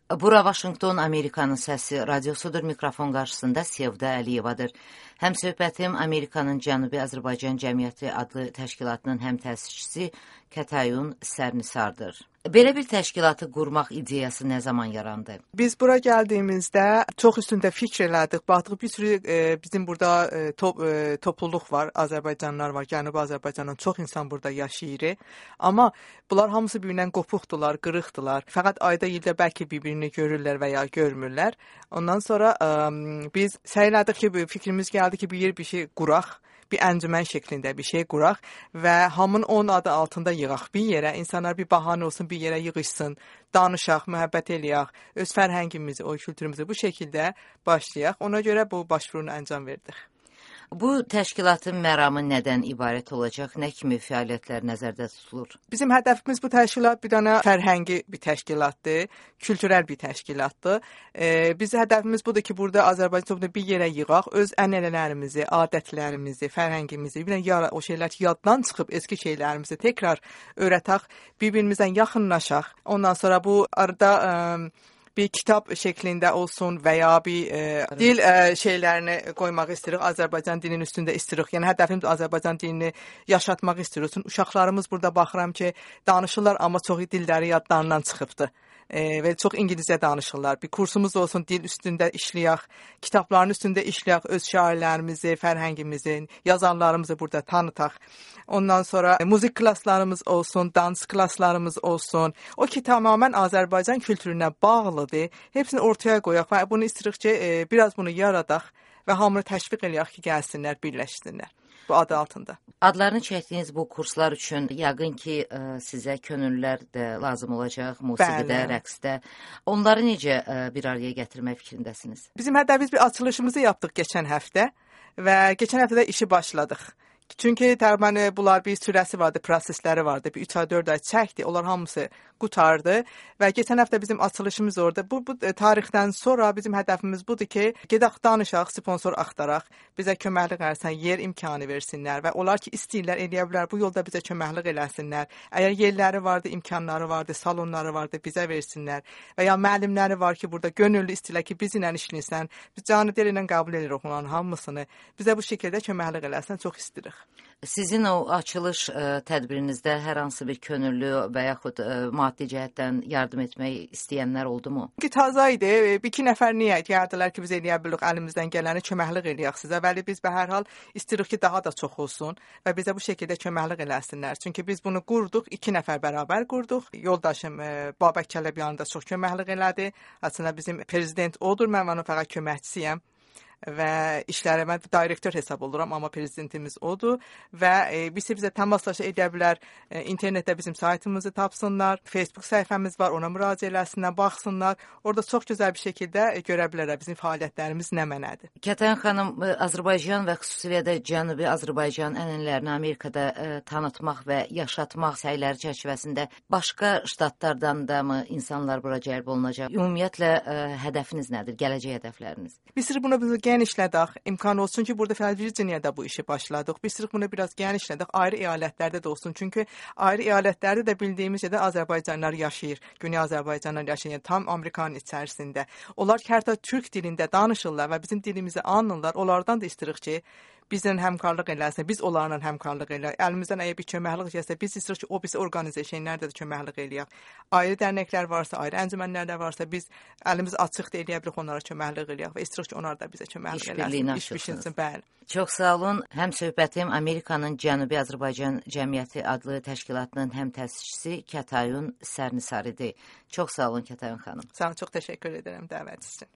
Bura Vaşinqton, Amerikanın səsi radiosudur. Mikrofon qarşısında Sevda Əliyevadır. Həmsöhbətim Amerikanın Cənubi Azərbaycan Cəmiyyəti adlı təşkilatının həm təsisçisi Kətayun Sərnisardır. Belə bir təşkilatı qurmaq ideyası nə zaman yarandı? Biz bura gəldiyimizdə çox üstündə fikr elədik. Baxdıq bir sürü bizim burada topluluq var, Azərbaycanlılar var. Cənubi Azərbaycandan çox insan burada yaşayır. Amma bunlar hamısı bir-birindən qopuqdular, qırıqdılar. Fəqət ayda ildə bəlkə bir-birini görürlər və ya görmürlər. Ondan sonra biz səylədik ki, fikrimiz gəldi ki, bir şey quraq. Bir əncümən şəklində bir şey quraq və hamının onun adı altında yığaq bir yerə. İnsanlar bir bahanə olsun, bir yerə yığışsın, danışaq, mühəbbət eləyək, öz fərhəngimizi, o kültürümüzü bu şəkildə başlayaq. Ona görə bu başvurunu əncam verdik. Bu təşkilatın məramı nədən ibarət olacaq? Nə kimi fəaliyyətlər nəzərdə tutulur? Bizim hədəfimiz bu təşkilat bir dənə fərhəngi bir təşkilatdır, kültürel bir təşkilatdır. Bizim hədəfimiz budur ki, burada Azərbaycan bir yerə yığaq, öz ənənələrimizi, adətlərimizi, fərhəngimizi, o şeylər ki, yaddan çıxıb eski şeylərimizi təkrar öyrətək, bir-birimizdən yaxınlaşaq. Ondan sonra bu arada bir kitab şəklində olsun və ya bir dil şeylərini qoymaq istəyirik. Azərbaycan dilinin üstündə istəyirik. Yəni hədəfimiz Azərbaycan dilini yaşatmaq istəyirik. Uşaqlarımız burada baxıram ki, danışırlar, amma çox dilləri yadlarından çıxıbdı. Və çox İngiliscə danışırlar. Bir kursumuz olsun, dil üstündə işləyək, kitabların üstündə işləyək, öz şairlərimizi, fərhəngimizi, yazarlarımızı burada tanıtaq. Ondan sonra müzik klasslarımız olsun, dans klasslarımız olsun. O ki, tamamən Azərbaycan kültürünə bağlıdır. Hepsini ortaya qoyaq və bunu istəyirik ki, biraz bunu yaradaq və hamını təşviq eləyək ki, gəlsinlər, birləşsinlər. Bu adı altında. Adlarını çəkdiyiniz bu kurslar üçün yəqin ki, sizə könüllülər də lazım olacaq, musiqidə, rəqsdə. Onları necə bir araya gətirmək fikrindəsiniz? Bizim hədəfimiz bir açılışımızı yapdıq keçən həftə və keçən həftədə işi başladıq. Çünki təqribən bunlar bir sürəsi vardı, prosesləri vardı. Bir 3 ay, 4 ay çəkdi. Onlar hamısı qutardı və keçən həftə bizim açılışımız orada. Bu tarixdən sonra bizim hədəfimiz budur ki, gedək danışaq, sponsor axtaraq, bizə köməklik eləsin, yer imkanı versinlər və onlar ki, istəyirlər, eləyə bilər, bu yolda bizə köməklik eləsinlər. Əgər yerləri vardı, imkanları vardı, salonları vardı, bizə versinlər və ya müəllimləri var ki, burada gönüllü istəyirlər ki, bizlə işləyirsən, biz canı dil ilə qəbul edirik onların hamısını. Bizə bu şəkildə köməklik eləsin, çox istəyirik. Sizin o açılış tədbirinizdə hər hansı bir könüllü və yaxud maddi cəhətdən yardım etmək istəyənlər oldu mu? Ki, taza idi. Bir-iki nəfər niyyət yardırlar ki, biz eləyə bilirik, əlimizdən gələni köməklik eləyək sizə. Bəli, biz hər hal istəyirik ki, daha da çox olsun və bizə bu şəkildə köməklik eləsinlər. Çünki biz bunu qurduq, 2 nəfər bərabər qurduq. Yoldaşım Babək Kələbyan da çox köməklik elədi. Aslında bizim prezident odur, mən onun fəqət köməkçisiyəm. Və işlərimə direktor hesab oluram, amma prezidentimiz odur və bizə təmaslaşa edə bilər, internetdə bizim saytımızı tapsınlar, Facebook səhifəmiz var, ona müraciət eləsinlər, baxsınlar, orada çox gözəl bir şəkildə görə bilərlər bizim fəaliyyətlərimiz nə mənədir. Kətayun xanım, Azərbaycan və xüsusilə də Cənubi Azərbaycan ənənələrini Amerikada tanıtmaq və yaşatmaq səyləri çərçivəsində başqa ştatlardan da mı insanlar bura cəlb olunacaq? Ümumiyyətlə, hədəfiniz nədir, gələcək hədəfləriniz? Biz bunu genişlədək, imkan olsun ki, burada Virginiyada bu işi başladıq. Biz bunu biraz genişlədək, ayrı əyalətlərdə də olsun. Çünki ayrı əyalətlərdə də bildiyimiz yerdə Azərbaycanlar yaşayır. Güney Azərbaycanlar yaşayır, tam Amerikanın içərisində. Onlar ki, hətta türk dilində danışırlar və bizim dilimizi anlayırlar. Onlardan da istəyirik ki, bizlə həmkarlıq eləsin, biz onlarla həmkarlıq eləyək. Əlimizdən əgər bir köməklik gəlsə, biz istəyirik ki, o bizi orqanizasiyalarda da köməklik eləyək. Ayrı dərnəklər varsa, ayrı əncümənlər varsa, biz əlimiz açıqdır eləyə bilirik, onlara köməklik eləyək və istəyirik ki, onlar da bizə köməklik eləsin. İş biçilsin, bəli. Çox sağ olun. Həmsöhbətim Amerikanın Cənubi Azərbaycan Cəmiyyəti adlı təşkilatının həm təsisçisi Kətayun Sərnisar idi. Çox sağ olun Kətayun xanım. Sağ olun, çox təşəkkür edirəm dəvətiniz üçün.